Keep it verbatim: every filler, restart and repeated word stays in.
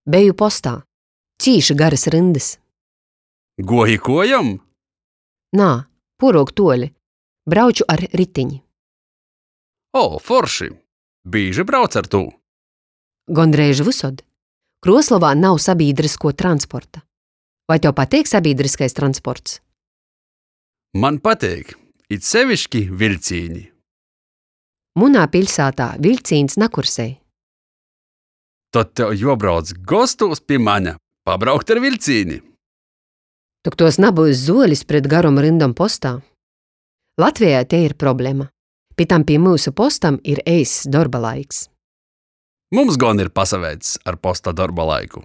Beju postā. Cīši garys ryndys. Guoji kuojom? Nā, puoruok tuoli. Brauču ar ritini. O, forši! Bīži brauc ar tū? Gondreiž vysod. Kruoslovā nav sabīdryskuo transporta. Voi tev pateik sabīdryskais transports? Man pateik, it seviški viļcīni. Munā piļsātā viļcīņs nakursej. Tod tev juobrauc gostūs pi mane, pabraukt ar viļcīni. Tok tuos nabyus zuolis pret garom ryndom postā. Latvejā tei ir problema. Pi tam pi myusu postam ir eiss dorba laiks. Mums gon ir pasaveics ar posta dorba laiku.